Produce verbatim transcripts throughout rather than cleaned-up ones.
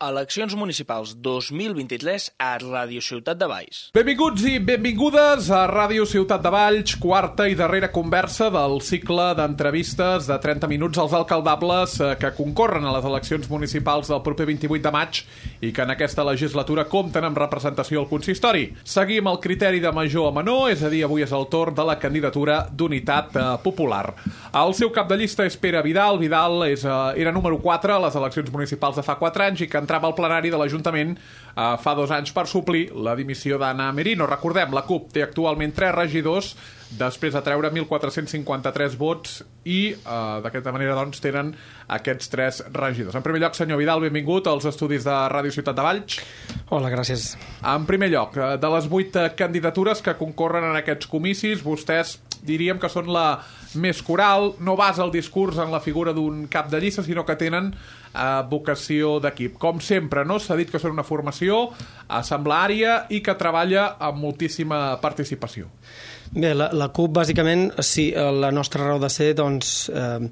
Eleccions municipals dos mil vint-i-tres a Ràdio Ciutat de Valls. Benvinguts i benvingudes a Ràdio Ciutat de Valls, quarta i darrera conversa del cicle d'entrevistes de trenta minuts als alcaldables que concorren a les eleccions municipals del proper vint-i-vuit de maig i que en aquesta legislatura compten amb representació al consistori. Seguim el criteri de major a menor, és a dir, avui és el torn de la candidatura d'Unitat Popular. El seu cap de llista és Pere Vidal. Vidal és, era número quatre a les eleccions municipals de fa quatre anys i que entrava al plenari de l'Ajuntament eh, fa dos anys per suplir la dimissió d'Anna Merino. Recordem, la CUP té actualment tres regidors després de treure mil quatre-cents cinquanta-tres vots i eh, d'aquesta manera doncs tenen aquests tres regidors. En primer lloc, senyor Vidal, benvingut als estudis de Ràdio Ciutat de Valls. Hola, gràcies. En primer lloc, de les vuit candidatures que concorren en aquests comicis, vostès diríem que són la més coral, no basa el discurs en la figura d'un cap de llista, sinó que tenen eh, vocació d'equip. Com sempre, no? S'ha dit que són una formació assembleària i que treballa amb moltíssima participació. Bé, la, la CUP, bàsicament, sí, la nostra raó de ser, doncs, eh,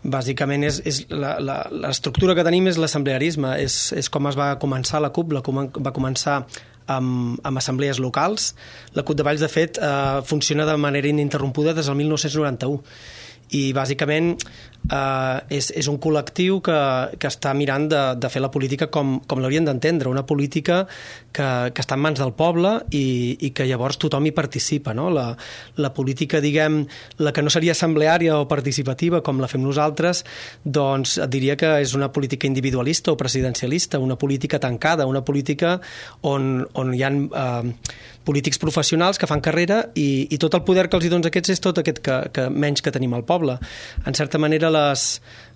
bàsicament, és, és la, la, l'estructura que tenim és l'assemblearisme, és, és com es va començar la CUP, la CUP va començar amb, amb assemblees locals. La CUP de Valls, de fet, eh, funciona de manera ininterrompuda des del mil nou-cents noranta-u. I bàsicament eh, és, és un col·lectiu que, que està mirant de, de fer la política com, com l'haurien d'entendre, una política que, que està en mans del poble i, i que llavors tothom hi participa, no? La, la política, diguem, la que no seria assembleària o participativa com la fem nosaltres, doncs et diria que és una política individualista o presidencialista, una política tancada, una política on, on hi ha eh, polítics professionals que fan carrera i, i tot el poder que els hi dones aquests és tot aquest que, que menys que tenim al poble. En certa manera, les,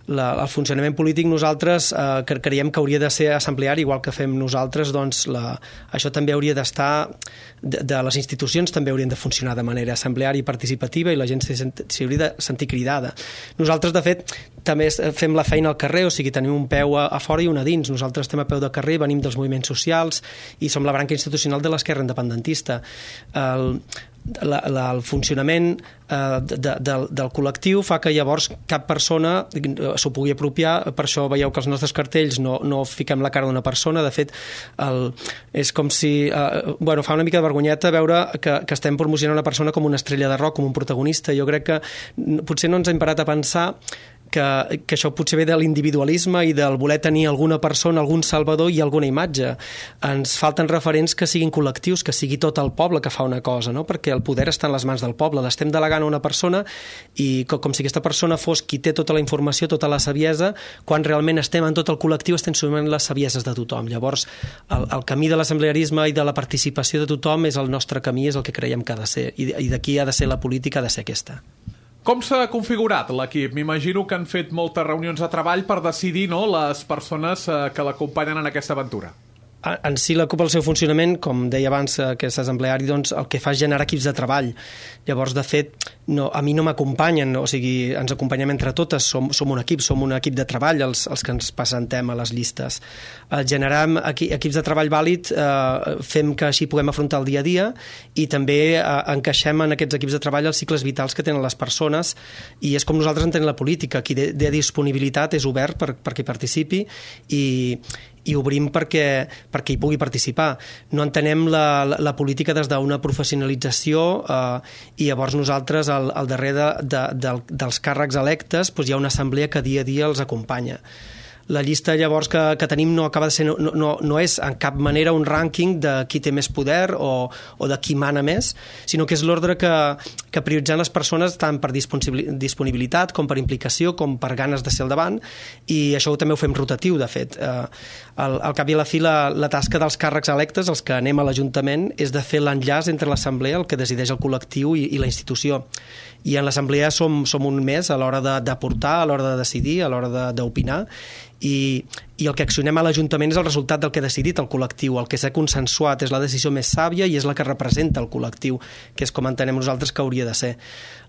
la, el funcionament polític nosaltres eh, creiem que hauria de ser assembleari, igual que fem nosaltres, doncs la, això també hauria d'estar, de, de les institucions també haurien de funcionar de manera assembleària i participativa i la gent s'hi hauria de sentir cridada. Nosaltres, de fet, també fem la feina al carrer, o sigui, tenim un peu a, a fora i un a dins. Nosaltres estem a peu de carrer, venim dels moviments socials i som la branca institucional de l'esquerra independentista. El, la, la, el funcionament eh, de, del, del col·lectiu fa que llavors cap persona s'ho pugui apropiar. Per això veieu que els nostres cartells no, no fiquem la cara d'una persona. De fet, el, és com si eh, bueno, fa una mica de vergonyeta veure que, que estem promocionant una persona com una estrella de rock, com un protagonista. Jo crec que potser no ens hem parat a pensar que, que això potser ve de l'individualisme i del voler tenir alguna persona, algun salvador i alguna imatge. Ens falten referents que siguin col·lectius, que sigui tot el poble que fa una cosa, no? Perquè el poder està en les mans del poble. L'estem delegant a una persona i com, com si aquesta persona fos qui té tota la informació, tota la saviesa, quan realment estem en tot el col·lectiu, estem sumant les savieses de tothom. Llavors, el, el camí de l'assemblearisme i de la participació de tothom és el nostre camí, és el que creiem que ha de ser. I, i d'aquí ha de ser la política, ha de ser aquesta. Com s'ha configurat l'equip? M'imagino que han fet moltes reunions de treball per decidir, no, les persones eh, que l'acompanyen en aquesta aventura. En si la CUP, el seu funcionament, com deia abans, que és assembleari, doncs el que fa és generar equips de treball. Llavors, de fet, no, a mi no m'acompanyen, o sigui, ens acompanyem entre totes, som, som un equip, som un equip de treball, els, els que ens presentem a les llistes. Eh, generem equi, equips de treball vàlid, eh, fem que així puguem afrontar el dia a dia i també eh, encaixem en aquests equips de treball els cicles vitals que tenen les persones i és com nosaltres entenem la política. Qui de, de disponibilitat és obert per, perquè participi i i obrim perquè, perquè hi pugui participar. No entenem la, la, la política des d'una professionalització eh, i llavors nosaltres al, al darrere de, de, de, dels càrrecs electes doncs hi ha una assemblea que dia a dia els acompanya. La llista llavors que, que tenim no acaba de ser, no, no, no és en cap manera un rànquing de qui té més poder o, o de qui mana més, sinó que és l'ordre que, que prioritzant les persones tant per disponibilitat com per implicació com per ganes de ser al davant i això també ho fem rotatiu, de fet. Eh, al, al cap i a la fi la, la tasca dels càrrecs electes, els que anem a l'Ajuntament, és de fer l'enllaç entre l'assemblea, el que decideix el col·lectiu i, i la institució. I en l'assemblea som, som un més a l'hora d'aportar, a l'hora de decidir, a l'hora d'opinar i, i el que accionem a l'Ajuntament és el resultat del que ha decidit el col·lectiu, el que s'ha consensuat, és la decisió més sàvia i és la que representa el col·lectiu, que és com entenem nosaltres que hauria de ser.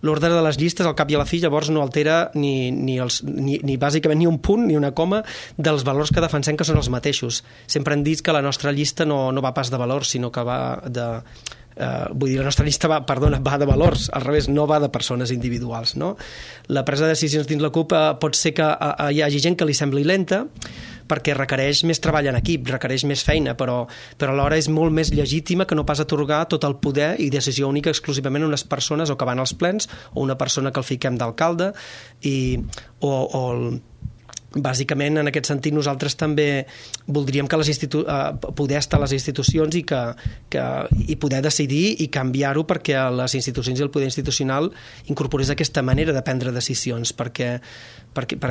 L'ordre de les llistes, al cap i a la fi, llavors no altera ni, ni, els, ni, ni bàsicament ni un punt ni una coma dels valors que defensem, que són els mateixos. Sempre hem dit que la nostra llista no, no va pas de valors, sinó que va de... Uh, vull dir, la nostra llista va, perdona, va de valors, al revés, no va de persones individuals, no? La presa de decisions dins la CUP uh, pot ser que uh, hi hagi gent que li sembli lenta, perquè requereix més treball en equip, requereix més feina, però, però alhora és molt més legítima que no pas atorgar tot el poder i decisió única exclusivament a unes persones o que van als plens o una persona que el fiquem d'alcalde i, o, o el bàsicament, en aquest sentit, nosaltres també voldríem que les institu- eh, poder estar a les institucions i, que, que, i poder decidir i canviar-ho perquè les institucions i el poder institucional incorporés aquesta manera de prendre decisions, perquè, perquè per,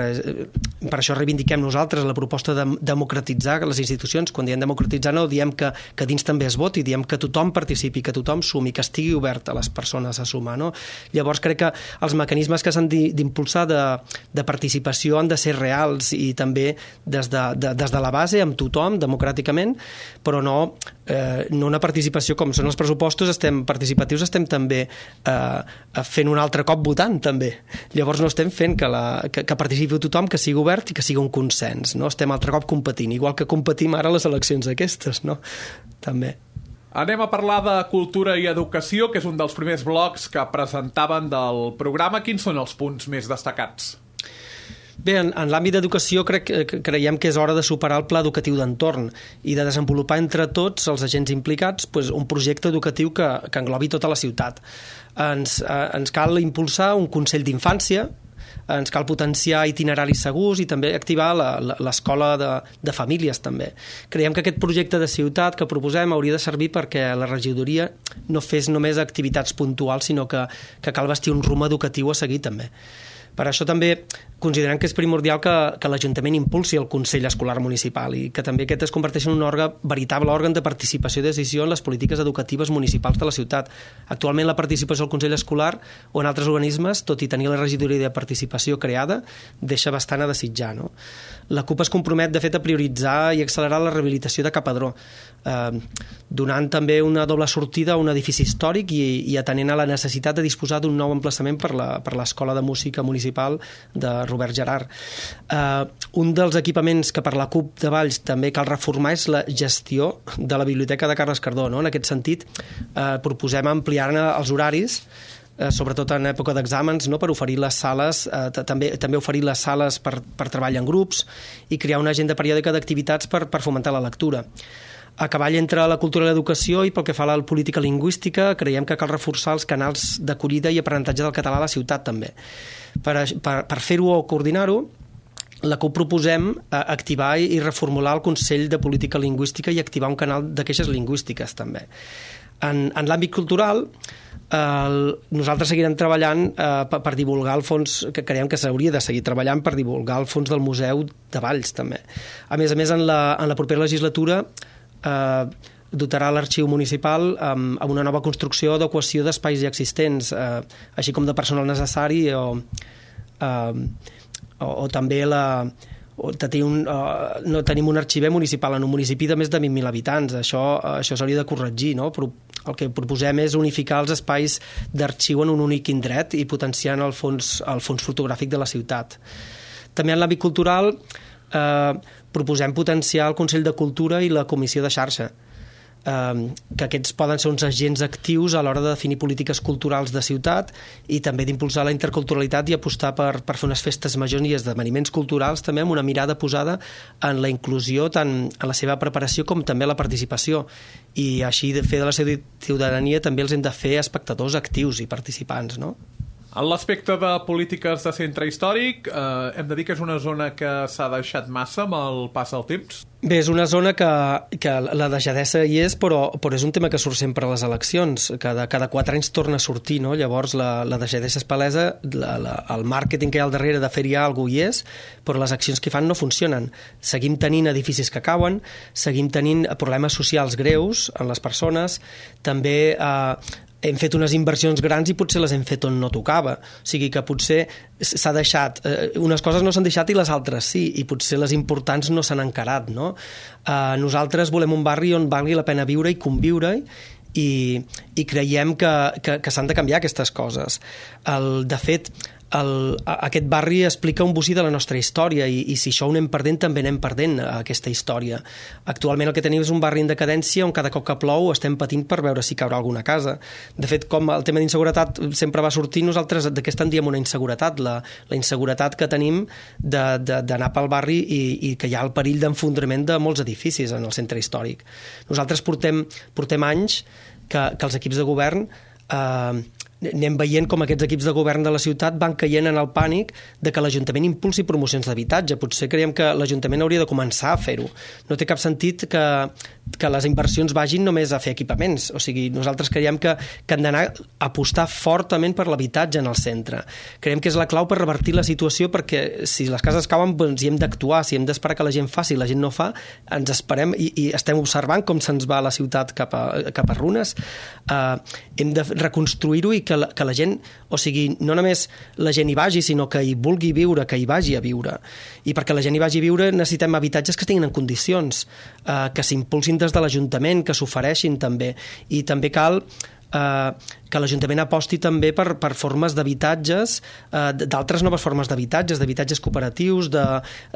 per això reivindiquem nosaltres la proposta de democratitzar les institucions. Quan diem democratitzar no diem que, que dins també es voti, diem que tothom participi, que tothom sumi, que estigui obert a les persones a sumar. No? Llavors crec que els mecanismes que s'han d'impulsar de, de participació han de ser reals i també des de, de, des de la base amb tothom, democràticament, però no, eh, no una participació com són els pressupostos, estem participatius, estem també eh, fent un altre cop votant també. Llavors no estem fent que, la, que, que participi tothom, que sigui obert i que sigui un consens, no? Estem altre cop competint, igual que competim ara les eleccions aquestes, no? També. Anem a parlar de cultura i educació, que és un dels primers blocs que presentaven del programa. Quins són els punts més destacats? Bé, en, en l'àmbit d'educació crec, creiem que és hora de superar el pla educatiu d'entorn i de desenvolupar entre tots els agents implicats pues, un projecte educatiu que, que englobi tota la ciutat. Ens, eh, ens cal impulsar un Consell d'Infància, ens cal potenciar itineraris segurs i també activar l'escola de, de famílies també. Creiem que aquest projecte de ciutat que proposem hauria de servir perquè la regidoria no fes només activitats puntuals, sinó que, que cal vestir un rumb educatiu a seguir també. Per això també considerem que és primordial que, que l'Ajuntament impulsi el Consell Escolar Municipal i que també aquest es converteixi en un òrgan, veritable òrgan de participació i decisió en les polítiques educatives municipals de la ciutat. Actualment la participació al Consell Escolar o en altres organismes, tot i tenir la regidoria de participació creada, deixa bastant a desitjar. No? La CUP es compromet, de fet, a prioritzar i accelerar la rehabilitació de Capadró, eh, donant també una doble sortida a un edifici històric i, i atenent a la necessitat de disposar d'un nou emplaçament per la, per l'Escola de Música Municipal de Robert Gerard. Uh, un dels equipaments que per la CUP de Valls també cal reformar és la gestió de la Biblioteca de Carles Cardó. No? En aquest sentit, uh, proposem ampliar-ne els horaris, uh, sobretot en època d'exàmens, no? Per oferir les sales, uh, també, també oferir les sales per, per treball en grups i crear una agenda periòdica d'activitats per, per fomentar la lectura. A cavall entre la cultura i l'educació i pel que fa a la política lingüística, creiem que cal reforçar els canals d'acollida i aprenentatge del català a la ciutat també. Per, per, per fer-ho o coordinar-ho, la CUP proposem activar i reformular el Consell de Política Lingüística i activar un canal de queixes lingüístiques també. En, en l'àmbit cultural, eh, nosaltres seguirem treballant eh, per, per divulgar el fons, que creiem que s'hauria de seguir treballant per divulgar el fons del Museu de Valls també. A més a més, en la, en la propera legislatura eh, dotarà l'Arxiu Municipal amb, amb una nova construcció d'adequació d'espais ja existents, eh, així com de personal necessari o, eh, o, o també la, o tenir un, uh, no tenim un arxiver municipal en un municipi de més de vint mil habitants. Això, uh, això s'hauria de corregir, no? Però el que proposem és unificar els espais d'arxiu en un únic indret i potenciant el fons, el fons fotogràfic de la ciutat. També en l'àmbit cultural eh, proposem potenciar el Consell de Cultura i la Comissió de Xarxa, que aquests poden ser uns agents actius a l'hora de definir polítiques culturals de ciutat i també d'impulsar la interculturalitat i apostar per, per fer unes festes majors i esdeveniments culturals també amb una mirada posada en la inclusió tant en la seva preparació com també la participació, i així de fer de la ciutadania també els hem de fer espectadors actius i participants, no? En l'aspecte de polítiques de centre històric, eh, hem de dir que és una zona que s'ha deixat massa amb el pas del temps? Bé, és una zona que, que la deixadesa hi és, però, però és un tema que surt sempre a les eleccions. Cada, cada quatre anys torna a sortir, no? Llavors la, la deixadesa és palesa, la, la, el màrqueting que hi ha al darrere de fer-hi alguna cosa hi és, però les accions que fan no funcionen. Seguim tenint edificis que cauen, seguim tenint problemes socials greus en les persones, també eh, hem fet unes inversions grans i potser les hem fet on no tocava. O sigui que potser s'ha deixat, eh, unes coses no s'han deixat i les altres sí, i potser les importants no s'han encarat, no? Eh, nosaltres volem un barri on valgui la pena viure i conviure i, i creiem que, que, que s'han de canviar aquestes coses. El, de fet, el, aquest barri explica un bocí de la nostra història i, i si això ho anem perdent, també anem perdent aquesta història. Actualment el que tenim és un barri en decadència on cada cop que plou estem patint per veure si caurà alguna casa. De fet, com el tema d'inseguretat sempre va sortir, nosaltres d'aquesta en diem una inseguretat, la, la inseguretat que tenim d'anar pel barri i, i que hi ha el perill d'enfondrament de molts edificis en el centre històric. Nosaltres portem, portem anys que, que els equips de govern eh, anem veient com aquests equips de govern de la ciutat van caient en el pànic de que l'Ajuntament impulsi promocions d'habitatge. Potser creiem que l'Ajuntament hauria de començar a fer-ho. No té cap sentit que, que les inversions vagin només a fer equipaments. O sigui, nosaltres creiem que, que han d'anar a apostar fortament per l'habitatge en el centre. Creiem que és la clau per revertir la situació, perquè si les cases cauen, doncs hi hem d'actuar, si hem d'esperar que la gent faci i la gent no fa, ens esperem i, i estem observant com se'ns va la ciutat cap a, cap a runes. Uh, hem de reconstruir-ho i que la, que la gent, o sigui, no només la gent hi vagi, sinó que hi vulgui viure, que hi vagi a viure. I perquè la gent hi vagi a viure necessitem habitatges que estiguin en condicions, eh, que s'impulsin des de l'Ajuntament, que s'ofereixin també. I també cal eh, que l'Ajuntament aposti també per, per formes d'habitatges, eh, d'altres noves formes d'habitatges, d'habitatges cooperatius, de,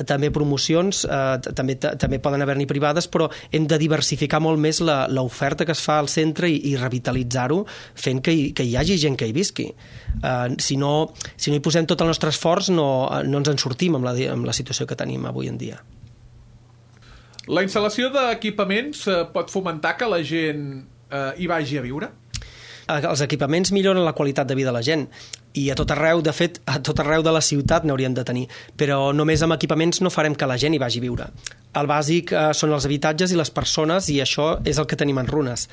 també promocions, eh, també, també poden haver-n'hi privades, però hem de diversificar molt més l'oferta que es fa al centre i, i revitalitzar-ho, fent que hi, que hi hagi gent que hi visqui. Eh, si, no, si no hi posem tot el nostre esforç, no, no ens en sortim amb la, amb la situació que tenim avui en dia. La instal·lació d'equipaments eh, pot fomentar que la gent eh, hi vagi a viure? Els equipaments milloren la qualitat de vida de la gent i a tot arreu, de fet, a tot arreu de la ciutat n'hauríem de tenir, però només amb equipaments no farem que la gent hi vagi a viure. El bàsic eh, són els habitatges i les persones i això és el que tenim en runes.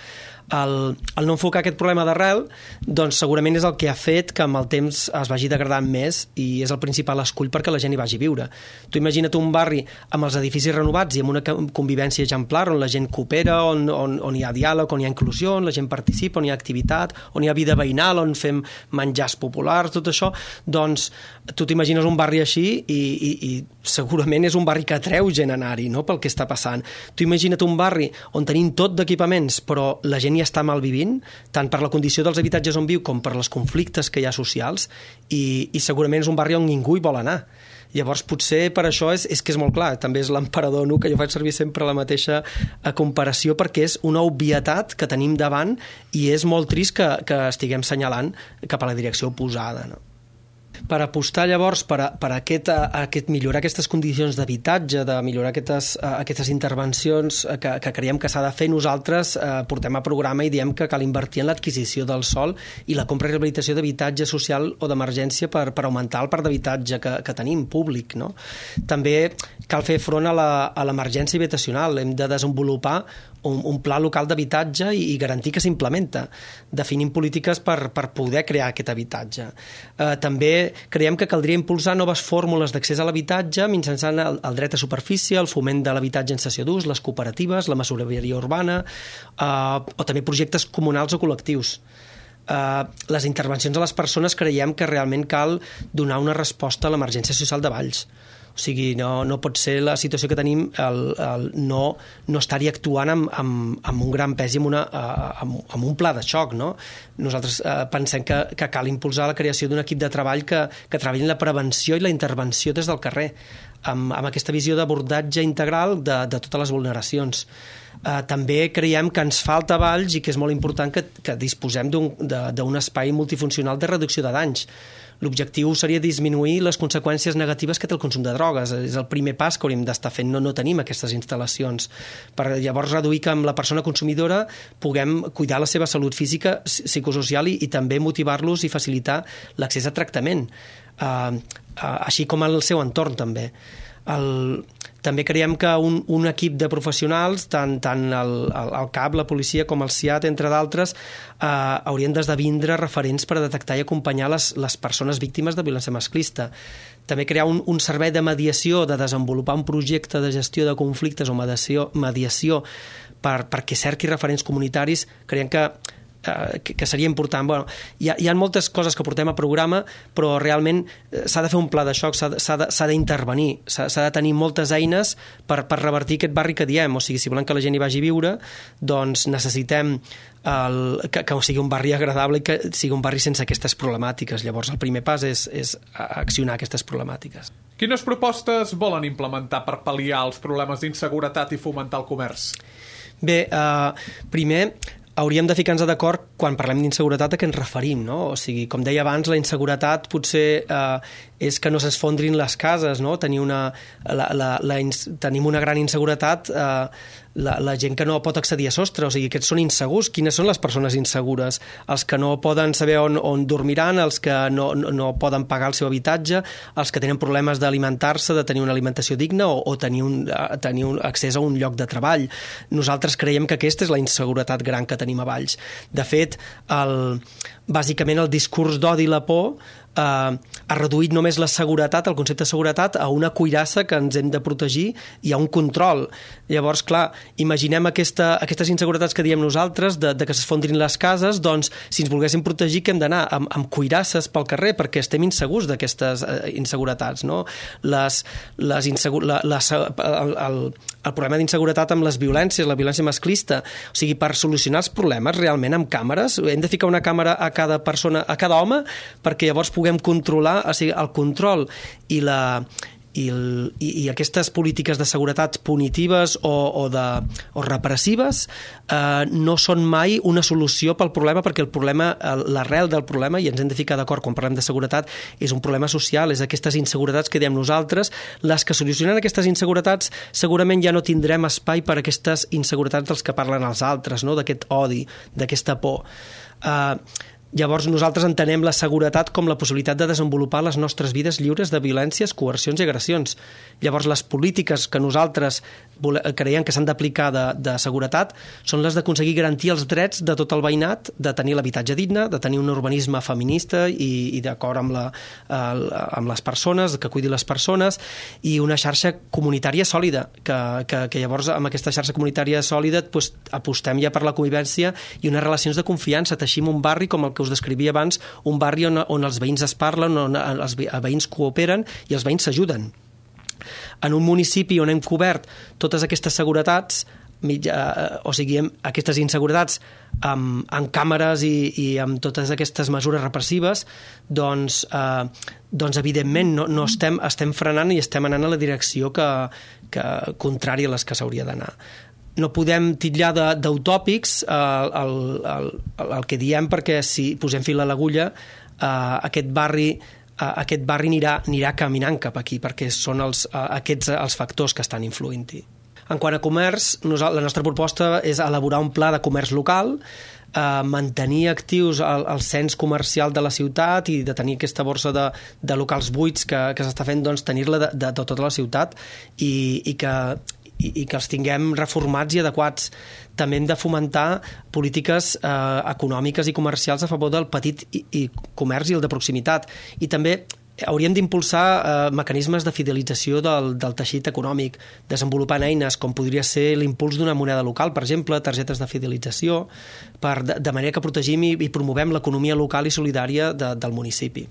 El, el no enfocar aquest problema d'arrel doncs segurament és el que ha fet que amb el temps es vagi degradant més i és el principal escull perquè la gent hi vagi a viure. Tu imagina't un barri amb els edificis renovats i amb una convivència exemplar on la gent coopera, on, on, on hi ha diàleg, on hi ha inclusió, on la gent participa, on hi ha activitat, on hi ha vida veïnal, on fem menjars populars, tot això, doncs tu t'imagines un barri així i, i, i segurament és un barri que atreu gent a anar-hi, no?, pel que està passant. Tu imagina't un barri on tenim tot d'equipaments però la gent hi està malvivint, tant per la condició dels habitatges on viu com per les conflictes que hi ha socials i, i segurament és un barri on ningú hi vol anar. Llavors potser per això és, és que és molt clar, també és l'emperador Nu, que jo faig servir sempre la mateixa comparació perquè és una obvietat que tenim davant i és molt trist que, que estiguem senyalant cap a la direcció oposada, no? Per apostar llavors per, a, per a aquest, a, aquest, millorar aquestes condicions d'habitatge, de millorar aquestes, a, aquestes intervencions que, que creiem que s'ha de fer, nosaltres eh, portem a programa i diem que cal invertir en l'adquisició del sòl i la compra i rehabilitació d'habitatge social o d'emergència per, per augmentar el parc d'habitatge que, que tenim públic, no? També cal fer front a l'emergència habitacional, hem de desenvolupar un, un pla local d'habitatge i, i garantir que s'implementa, definint polítiques per, per poder crear aquest habitatge. Eh, també creiem que caldria impulsar noves fórmules d'accés a l'habitatge mitjançant el, el dret a superfície, el foment de l'habitatge en cessió d'ús, les cooperatives, la masoveria urbana eh, o també projectes comunals o col·lectius. Uh, les intervencions a les persones creiem que realment cal donar una resposta a l'emergència social de Valls. O sigui, no, no pot ser la situació que tenim el, el no, no estar-hi actuant amb, amb, amb un gran pes i amb, una, amb, amb un pla de xoc, no? Nosaltres eh, pensem que, que cal impulsar la creació d'un equip de treball que, que treballi en la prevenció i la intervenció des del carrer, amb, amb aquesta visió d'abordatge integral de, de totes les vulneracions. Uh, també creiem que ens falta a Valls i que és molt important que, que disposem d'un espai multifuncional de reducció de danys. L'objectiu seria disminuir les conseqüències negatives que té el consum de drogues. És el primer pas que hauríem d'estar fent. No, no tenim aquestes instal·lacions. Per llavors reduir que amb la persona consumidora puguem cuidar la seva salut física, psicosocial i, i també motivar-los i facilitar l'accés a tractament, uh, uh, així com al seu entorn també. El, també creiem que un, un equip de professionals, tant, tant el, el, el C A P, la policia com el C I A T, entre d'altres, eh, haurien d'esdevindre referents per a detectar i acompanyar les, les persones víctimes de violència masclista. També crear un, un servei de mediació, de desenvolupar un projecte de gestió de conflictes o mediació, mediació per, perquè cerqui referents comunitaris. Creiem que eh, que, que seria important. Bueno, hi ha, hi ha moltes coses que portem a programa, però realment s'ha de fer un pla de xoc, s'ha d'intervenir, s'ha de tenir moltes eines per, per revertir aquest barri que diem. O sigui, si volem que la gent hi vagi a viure, doncs necessitem el, que, que sigui un barri agradable i que sigui un barri sense aquestes problemàtiques. Llavors el primer pas és, és accionar aquestes problemàtiques. Quines propostes volen implementar per pal·liar els problemes d'inseguretat i fomentar el comerç? Bé, eh, primer hauríem de ficar-nos d'acord quan parlem d'inseguretat a què ens referim, no? O sigui, com deia abans, la inseguretat potser eh, és que no s'esfondrin les cases, no? Tenir una, la, la, la, tenim una gran inseguretat, eh, la, la gent que no pot accedir a sostre, o sigui, aquests són insegurs. Quines són les persones insegures? Els que no poden saber on, on dormiran, els que no, no, no poden pagar el seu habitatge, els que tenen problemes d'alimentar-se, de tenir una alimentació digna o, o tenir, un, tenir un accés a un lloc de treball. Nosaltres creiem que aquesta és la inseguretat gran que tenim a Valls. De fet, el, bàsicament el discurs d'odi i la por eh, ha reduït només la seguretat, el concepte de seguretat, a una cuirassa que ens hem de protegir i a un control. Llavors, clar, imaginem aquesta, aquestes inseguretats que diem nosaltres, de, de que s'esfondrin les cases, doncs, si ens volguéssim protegir, que hem d'anar amb, amb cuirasses pel carrer, perquè estem insegurs d'aquestes eh, inseguretats, no? Les, les insegur, la, la, el, el, el problema d'inseguretat amb les violències, la violència masclista, o sigui, per solucionar els problemes realment amb càmeres, hem de ficar una càmera a cada persona, a cada home, perquè llavors puguem controlar, o sigui, el control i la i, el, i, i aquestes polítiques de seguretat punitives o, o, de, o repressives eh, no són mai una solució pel problema, perquè el problema, l'arrel del problema, i ens hem de ficar d'acord quan parlem de seguretat, és un problema social, és aquestes inseguretats que diem nosaltres. Les que solucionen aquestes inseguretats segurament ja no tindrem espai per aquestes inseguretats dels que parlen els altres, no? D'aquest odi, d'aquesta por. Eh, Llavors nosaltres entenem la seguretat com la possibilitat de desenvolupar les nostres vides lliures de violències, coercions i agressions. Llavors les polítiques que nosaltres creiem que s'han d'aplicar de, de seguretat són les d'aconseguir garantir els drets de tot el veïnat, de tenir l'habitatge digne, de tenir un urbanisme feminista i, i d'acord amb, la, amb les persones, que cuidi les persones, i una xarxa comunitària sòlida, que, que, que llavors amb aquesta xarxa comunitària sòlida doncs, apostem ja per la convivència i unes relacions de confiança, teixim un barri com el que us descrivia abans, un barri on, on els veïns es parlen, on els veïns cooperen i els veïns s'ajuden. En un municipi on hem cobert totes aquestes seguretats, mitja, o sigui, aquestes inseguretats amb, amb càmeres i, i amb totes aquestes mesures repressives, doncs, eh, doncs evidentment no, no estem, estem frenant i estem anant a la direcció que, que contrària a les que s'hauria d'anar. No podem titllar d'utòpics el, el, el, el que diem, perquè si posem fil a l'agulla, eh, aquest barri eh, aquest barri anirà, anirà caminant cap aquí, perquè són els, eh, aquests els factors que estan influint-hi. En quant a comerç, la nostra proposta és elaborar un pla de comerç local, eh, mantenir actius el, el cens comercial de la ciutat i de tenir aquesta borsa de, de locals buits que, que s'està fent, doncs, tenir-la de, de, de tota la ciutat i, i que i que els tinguem reformats i adequats. També hem de fomentar polítiques eh, econòmiques i comercials a favor del petit i, i comerç i el de proximitat. I també hauríem d'impulsar eh, mecanismes de fidelització del, del teixit econòmic, desenvolupant eines com podria ser l'impuls d'una moneda local, per exemple, targetes de fidelització, per, de, de manera que protegim i, i promovem l'economia local i solidària de, del municipi.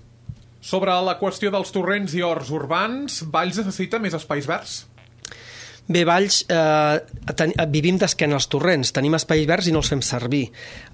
Sobre la qüestió dels torrents i horts urbans, Valls necessita més espais verds? Bé, Valls, eh, ten, vivim d'esquena als torrents, tenim espais verds i no els fem servir.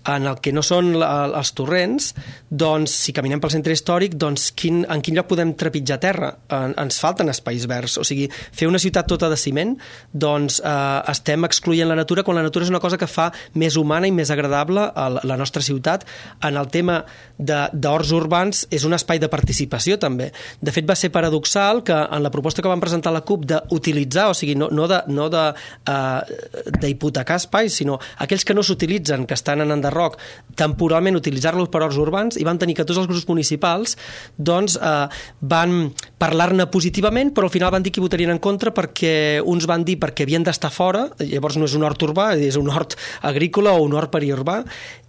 En el que no són la, els torrents, doncs, si caminem pel centre històric, doncs, quin, en quin lloc podem trepitjar terra? En, ens falten espais verds. O sigui, fer una ciutat tota de ciment, doncs eh, estem excloent la natura, quan la natura és una cosa que fa més humana i més agradable a la, la nostra ciutat. En el tema d'horts urbans és un espai de participació, també. De fet, va ser paradoxal que en la proposta que vam presentar a la CUP d'utilitzar, o sigui, no, no de, no de, uh, d'hipotecar espais, sinó aquells que no s'utilitzen, que estan en enderroc, temporalment utilitzar-los per horts urbans, i van tenir que tots els grups municipals doncs, uh, van parlar-ne positivament, però al final van dir que hi votarien en contra perquè uns van dir perquè havien d'estar fora, llavors no és un hort urbà, és un hort agrícola o un hort periurbà,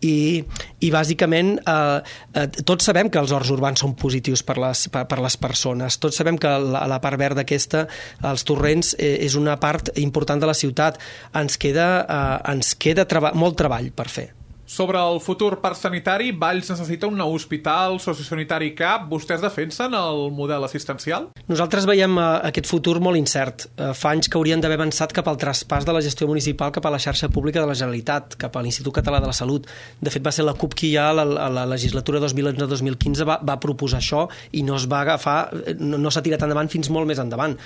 i, i bàsicament uh, uh, tots sabem que els horts urbans són positius per les, per, per les persones, tots sabem que la, la part verda aquesta, els torrents, eh, és una part important de la ciutat. Ens queda, eh, ens queda treba- molt treball per fer. Sobre el futur parc sanitari, Valls necessita un nou hospital sociosanitari C A P. Vostès defensen el model assistencial? Nosaltres veiem uh, aquest futur molt incert. Uh, fa anys que haurien d'haver avançat cap al traspàs de la gestió municipal cap a la xarxa pública de la Generalitat, cap a l'Institut Català de la Salut. De fet, va ser la C U P qui ja a la, a la legislatura dos mil onze dos mil quinze va, va proposar això i no es va agafar, no, no s'ha tirat endavant fins molt més endavant.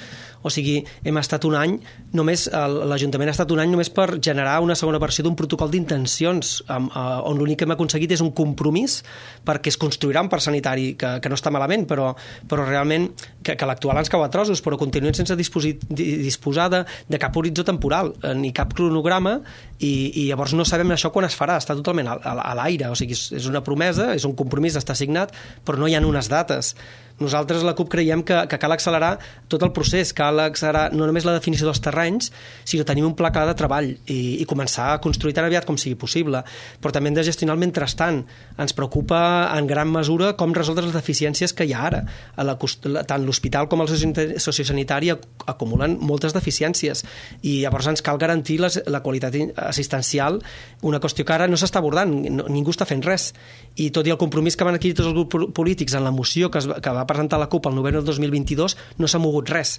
O sigui, hem estat un any, només l'Ajuntament ha estat un any només per generar una segona versió d'un protocol d'intencions amb on l'únic que hem aconseguit és un compromís perquè es construirà un parc sanitari, que, que no està malament, però, però realment que, que l'actual ens cau a trossos, però continuen sense disposi, disposar de, de cap horitzó temporal, ni cap cronograma, i, i llavors no sabem això quan es farà, està totalment a, a, a l'aire, o sigui, és, és una promesa, és un compromís, està signat, però no hi ha unes dates. Nosaltres, la C U P, creiem que, que cal accelerar tot el procés, cal accelerar no només la definició dels terrenys, sinó tenir un pla clar de treball i, i començar a construir tan aviat com sigui possible. Però també hem de gestionar el mentrestant. Ens preocupa en gran mesura com resoldre les deficiències que hi ha ara. A la, tant l'hospital com el sociosanitari acumulen moltes deficiències i llavors ens cal garantir les, la qualitat assistencial, una qüestió que ara no s'està abordant, no, ningú està fent res. I tot i el compromís que van adquirir tots els grups polítics en la moció que, es, que va presentar la C U P al novembre del dos mil vint-i-dos, no s'ha mogut res.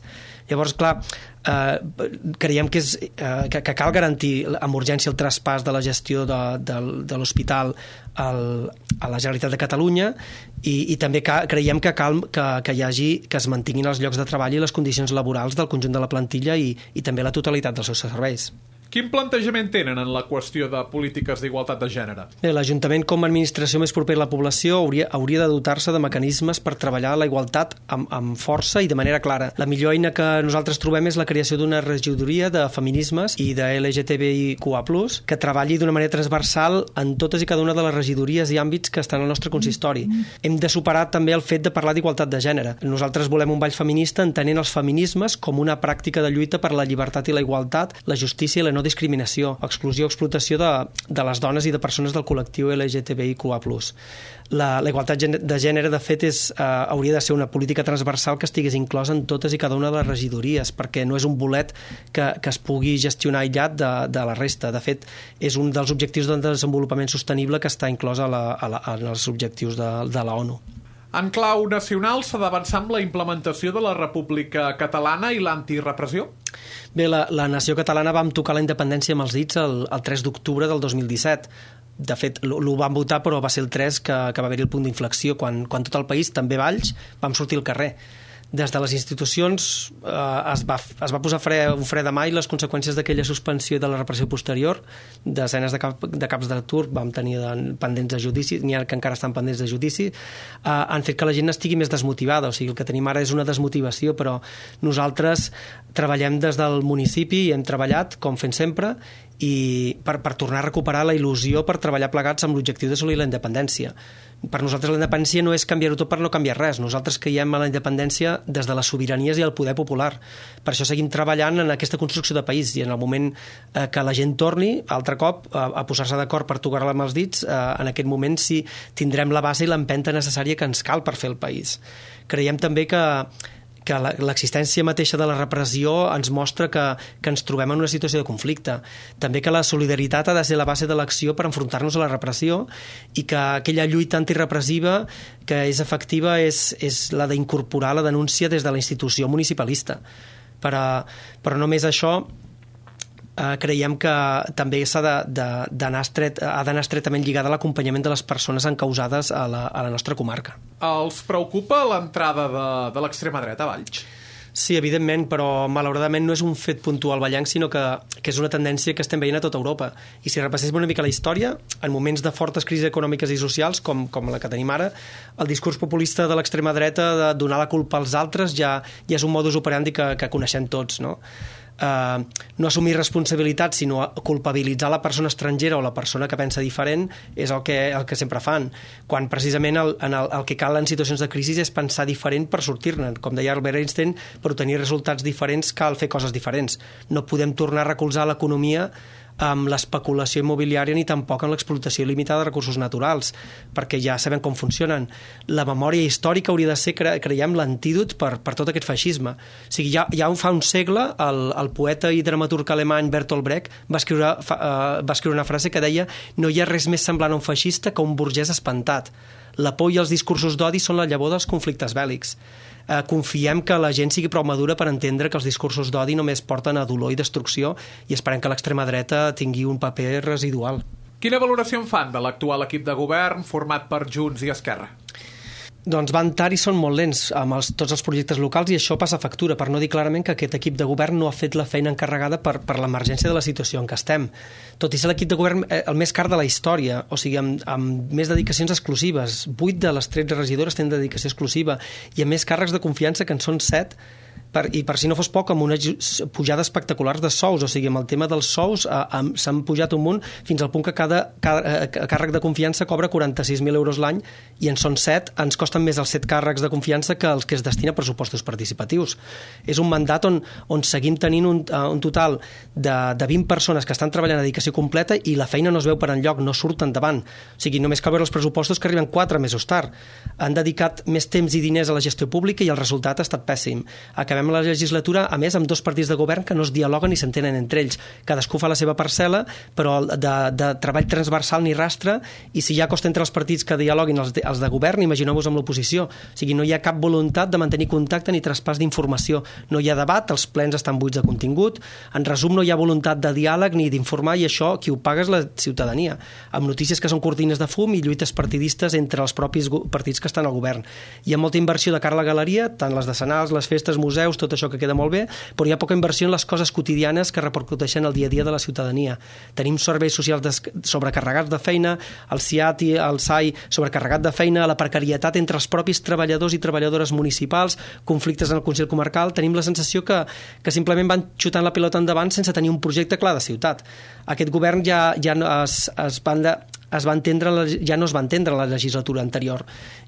Llavors, clar, eh, creiem que, és, eh, que, que cal garantir amb urgència el traspàs de la gestió de, de, de l'hospital al, a la Generalitat de Catalunya i, i també ca, creiem que cal que, que hi hagi, que es mantinguin els llocs de treball i les condicions laborals del conjunt de la plantilla i, i també la totalitat dels seus serveis. Quin plantejament tenen en la qüestió de polítiques d'igualtat de gènere? L'Ajuntament, com a administració més propera a la població, hauria, hauria de dotar-se de mecanismes per treballar la igualtat amb, amb força i de manera clara. La millor eina que nosaltres trobem és la creació d'una regidoria de feminismes i de L G T B I Q A plus, que treballi d'una manera transversal en totes i cada una de les regidories i àmbits que estan al nostre consistori. Hem de superar també el fet de parlar d'igualtat de gènere. Nosaltres volem un ball feminista entenent els feminismes com una pràctica de lluita per la llibertat i la igualtat, la justícia i la no discriminació, exclusió o explotació de, de les dones i de persones del col·lectiu L G T B I Q A plus. La, la igualtat de gènere, de fet, és, eh, hauria de ser una política transversal que estigués inclosa en totes i cada una de les regidories, perquè no és un bolet que, que es pugui gestionar aïllat de, de la resta. De fet, és un dels objectius de desenvolupament sostenible que està inclòs a la, a la, en els objectius de, de la ONU. En clau nacional, s'ha d'avançar amb la implementació de la República Catalana i l'antirepressió? Bé, la, la nació catalana vam tocar la independència amb els dits el, el tres d'octubre del dos mil disset. De fet, l'ho vam votar, però va ser el tres que, que va haver-hi el punt d'inflexió, quan, quan tot el país, també Valls, vam sortir al carrer. Des de les institucions eh, es, va, es va posar fre, un fre de mà i les conseqüències d'aquella suspensió de la repressió posterior, desenes de, cap, de caps d'atur vam tenir pendents de judici, n'hi ha que encara estan pendents de judici, eh, han fet que la gent estigui més desmotivada. O sigui, el que tenim ara és una desmotivació, però nosaltres treballem des del municipi i hem treballat, com fem sempre, i per, per tornar a recuperar la il·lusió per treballar plegats amb l'objectiu d'assolir la independència. Per nosaltres la independència no és canviar-ho tot per no canviar res. Nosaltres creiem en la independència des de les sobiranies i el poder popular. Per això seguim treballant en aquesta construcció de país i en el moment eh, que la gent torni altre cop a, a posar-se d'acord per tocar-la amb els dits, eh, en aquest moment sí tindrem la base i l'empenta necessària que ens cal per fer el país. Creiem també que que l'existència mateixa de la repressió ens mostra que, que ens trobem en una situació de conflicte. També que la solidaritat ha de ser la base de l'acció per enfrontar-nos a la repressió i que aquella lluita antirepressiva que és efectiva és, és la d'incorporar la denúncia des de la institució municipalista. Però, però només això, Uh, creiem que també s'ha d'anar estret, ha d'anar estretament lligada a l'acompanyament de les persones encausades a la, a la nostra comarca. Els preocupa l'entrada de, de l'extrema dreta a Valls? Sí, evidentment, però malauradament no és un fet puntual vallenc, sinó que, que és una tendència que estem veient a tota Europa. I si repasséssim una mica la història, en moments de fortes crisis econòmiques i socials, com, com la que tenim ara, el discurs populista de l'extrema dreta de donar la culpa als altres ja, ja és un modus operandi que, que coneixem tots, no? Uh, no assumir responsabilitat sinó culpabilitzar la persona estrangera o la persona que pensa diferent és el que, el que sempre fan, quan precisament el, en el, el que cal en situacions de crisi és pensar diferent per sortir-ne. Com deia Albert Einstein, per obtenir resultats diferents cal fer coses diferents. No podem tornar a recolzar l'economia amb l'especulació immobiliària ni tampoc amb l'explotació il·limitada de recursos naturals, perquè ja sabem com funcionen. La memòria històrica hauria de ser, cre creiem, l'antídot per, per tot aquest feixisme. O sigui, ja, ja fa un segle el, el poeta i dramaturg alemany Bertolt Brecht va escriure, fa, uh, va escriure una frase que deia: no hi ha res més semblant a un feixista que un burgès espantat. La por i els discursos d'odi són la llavor dels conflictes bèl·lics. Eh, confiem que la gent sigui prou madura per entendre que els discursos d'odi només porten a dolor i destrucció, i esperem que l'extrema dreta tingui un paper residual. Quina valoració en fan de l'actual equip de govern format per Junts i Esquerra? Doncs van tard i són molt lents amb els, tots els projectes locals, i això passa factura, per no dir clarament que aquest equip de govern no ha fet la feina encarregada per, per l'emergència de la situació en què estem. Tot i ser l'equip de govern el més car de la història, o sigui, amb, amb més dedicacions exclusives. vuit de les tretze regidores tenen dedicació exclusiva, i amb més càrrecs de confiança, que en són set, per, i per si no fos poc, amb unes pujades espectaculars de sous. O sigui, amb el tema dels sous s'han pujat un munt, fins al punt que cada, cada càrrec de confiança cobra quaranta-sis mil euros l'any, i en són set. Ens costen més els set càrrecs de confiança que els que es destina a pressupostos participatius. És un mandat on, on seguim tenint un, un total de, de vint persones que estan treballant a dedicació completa, i la feina no es veu per enlloc, no surt endavant. O sigui, només cal veure els pressupostos que arriben quatre mesos tard. Han dedicat més temps i diners a la gestió pública i el resultat ha estat pèssim. Acabem la legislatura, a més, amb dos partits de govern que no es dialoguen ni s'entenen entre ells. Cadascú fa la seva parcel·la, però de, de treball transversal ni rastre, i si ja costa entre els partits que dialoguin els de, els de govern, imagineu-vos amb l'oposició. O sigui, no hi ha cap voluntat de mantenir contacte ni traspàs d'informació. No hi ha debat, els plens estan buits de contingut. En resum, no hi ha voluntat de diàleg ni d'informar, i això qui ho paga és la ciutadania, amb notícies que són cortines de fum i lluites partidistes entre els propis partits que estan al govern. Hi ha molta inversió de cara a la galeria, tant les decenals, les festes, museus, tot això que queda molt bé, però hi ha poca inversió en les coses quotidianes que repercuteixen el dia a dia de la ciutadania. Tenim serveis socials sobrecarregats de feina, el S I A T i el S A I sobrecarregat de feina, la precarietat entre els propis treballadors i treballadores municipals, conflictes en el Consell Comarcal. Tenim la sensació que, que simplement van xutant la pilota endavant sense tenir un projecte clar de ciutat. Aquest govern ja, ja es, es van de, es va entendre, ja no es va entendre la legislatura anterior,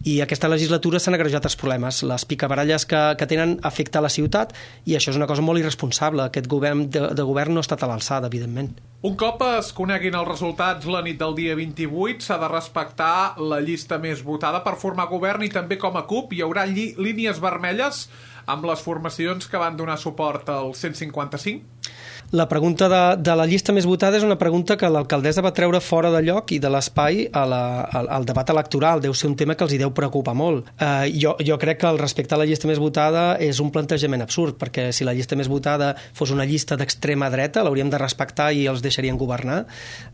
i aquesta legislatura s'han agrejat els problemes. Les picabaralles que, que tenen afecta a la ciutat, i això és una cosa molt irresponsable. Aquest govern de, de govern no ha estat a l'alçada, evidentment. Un cop es coneguin els resultats la nit del dia vint-i-vuit, s'ha de respectar la llista més votada per formar govern, i també com a CUP hi haurà línies vermelles amb les formacions que van donar suport al cent cinquanta-cinc? La pregunta de, de la llista més votada és una pregunta que l'alcaldessa va treure fora de lloc i de l'espai a la, al, al debat electoral. Deu ser un tema que els hi deu preocupar molt. Eh, jo, jo crec que el respecte a la llista més votada és un plantejament absurd, perquè si la llista més votada fos una llista d'extrema dreta, l'hauríem de respectar i els deixarien governar.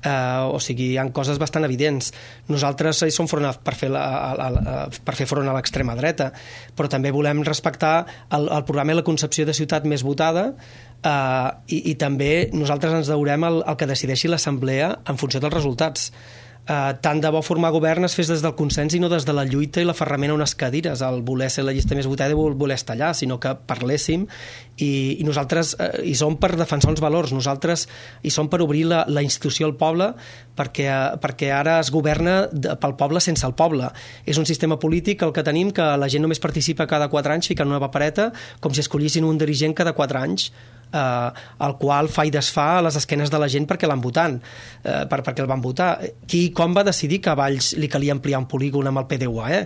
Eh, o sigui, hi ha coses bastant evidents. Nosaltres hi som front a, per, fer la, a, a, per fer front a l'extrema dreta, però també volem respectar el, el programa i la concepció de ciutat més votada. Uh, i, i també nosaltres ens deurem el, el que decideixi l'Assemblea en funció dels resultats. Uh, tant de bo formar govern es fes des del consens i no des de la lluita i l'aferrament a unes cadires, el voler ser la llista més votada i voler estar allà, sinó que parléssim, i, i nosaltres uh, hi som per defensar uns valors, nosaltres hi som per obrir la, la institució al poble, perquè, uh, perquè ara es governa de, pel poble sense el poble. És un sistema polític el que tenim, que la gent només participa cada quatre anys ficant una papereta, com si escollissin un dirigent cada quatre anys, Uh, el qual fa i desfà a les esquenes de la gent perquè l'han votant, uh, per, perquè el van votar. Qui i com va decidir que a Valls li calia ampliar un polígon amb el P D U A E?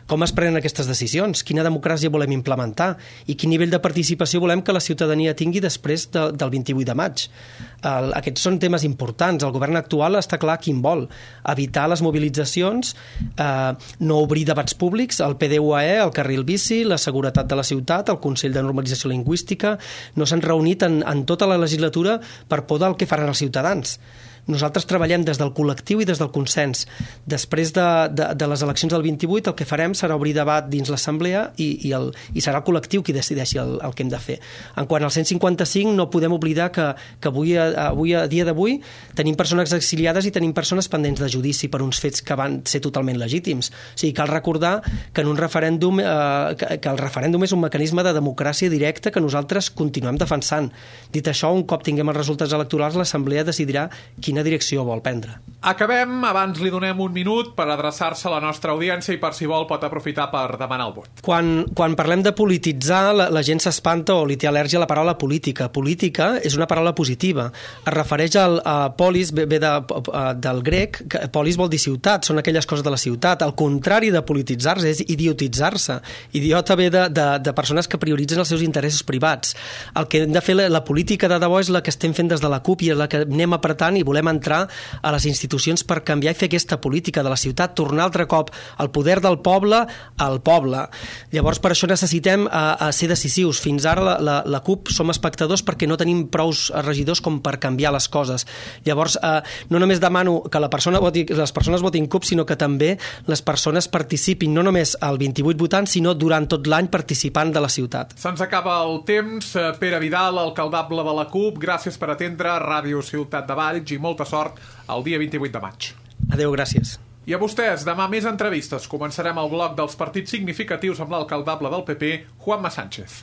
Com es prenen aquestes decisions? Quina democràcia volem implementar? I quin nivell de participació volem que la ciutadania tingui després de, del vint-i-vuit de maig? Uh, aquests són temes importants. El govern actual està clar quin vol. Evitar les mobilitzacions, uh, no obrir debats públics, el P D U A E, el carril bici, la seguretat de la ciutat, el Consell de Normalització Lingüística. No s'han reunit En, en tota la legislatura per por del que faran els ciutadans. Nosaltres treballem des del col·lectiu i des del consens. Després de, de, de les eleccions del vint-i-vuit, el que farem serà obrir debat dins l'Assemblea i, i, el, i serà el col·lectiu qui decideixi el, el que hem de fer. En quant al cent cinquanta-cinc, no podem oblidar que, que avui, avui, a dia d'avui, tenim persones exiliades i tenim persones pendents de judici per uns fets que van ser totalment legítims. O sigui, cal recordar que en un referèndum, eh, que, que el referèndum és un mecanisme de democràcia directa que nosaltres continuem defensant. Dit això, un cop tinguem els resultats electorals, l'Assemblea decidirà quina quina direcció vol prendre. Acabem, abans li donem un minut per adreçar-se a la nostra audiència i per si vol pot aprofitar per demanar el vot. Quan, quan parlem de polititzar, la, la gent s'espanta o li té al·lèrgia a la paraula política. Política és una paraula positiva. Es refereix al a polis, ve, ve de, a, del grec, que polis vol dir ciutat, són aquelles coses de la ciutat. El contrari de polititzar-se és idiotitzar-se. Idiota ve de, de, de persones que prioritzen els seus interessos privats. El que hem de fer, la, la política de debò és la que estem fent des de la CUP i és la que anem apretant i volem entrar a les institucions per canviar i fer aquesta política de la ciutat, tornar altre cop el poder del poble al poble. Llavors, per això necessitem a, a ser decisius. Fins ara la, la, la CUP som espectadors perquè no tenim prous regidors com per canviar les coses. Llavors, eh, no només demano que la persona voti, les persones votin CUP, sinó que també les persones participin, no només al vint-i-vuit votant, sinó durant tot l'any participant de la ciutat. Se'ns acaba el temps. Pere Vidal, alcaldable de la CUP, gràcies per atendre Ràdio Ciutat de Valls i molta sort el dia vint-i-vuit de maig. Adéu, gràcies. I a vostès, demà més entrevistes. Començarem el bloc dels partits significatius amb l'alcaldable del P P, Juanma Sánchez.